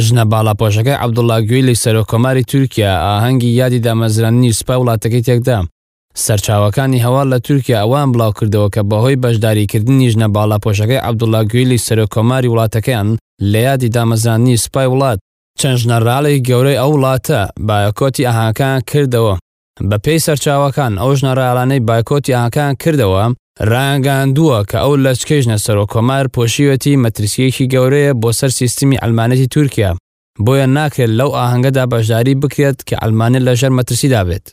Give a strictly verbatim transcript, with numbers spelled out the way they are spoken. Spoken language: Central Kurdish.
ژنە باڵاپۆشەکەی عەبدوڵڵا گویلی سەرۆککۆماری تورکیا ئاهەنگی یادی دامەزراندنی سوپای وڵاتەکەی تێکدا. سەرچاوەکانی هەواڵ لە تورکیا ئەوەیان بڵاوکردەوە کە بەهۆی بەشداریکردنی ژنە باڵاپۆشەکەی عەبدوڵڵا گویلی سەرۆککۆماری وڵاتەکەیان لە یادی دامەزراندنی سوپای وڵات، چەند ژنەراڵێکی گەورەی ئەو وڵاتە بایکۆتی ئاهەنگەکەیان کردەوە. بەپێی سەرچاوەکان ئەو ژنەراڵانەی بایکۆتی ئاهەنگەکەیان کردەوە ڕایانگەیاندووە کە ئەو لەچکەی ژنە سەرۆککۆمار پۆشیوێتی مەترسییەکی گەورەیە بۆ سەر سیستمی عەلمانیەتی تورکیا، بۆیە ناکرێت لەو ئاهەنگەدا بەشداری بکرێت کە عەلمانیەت لەژێر مەترسیدا بێت.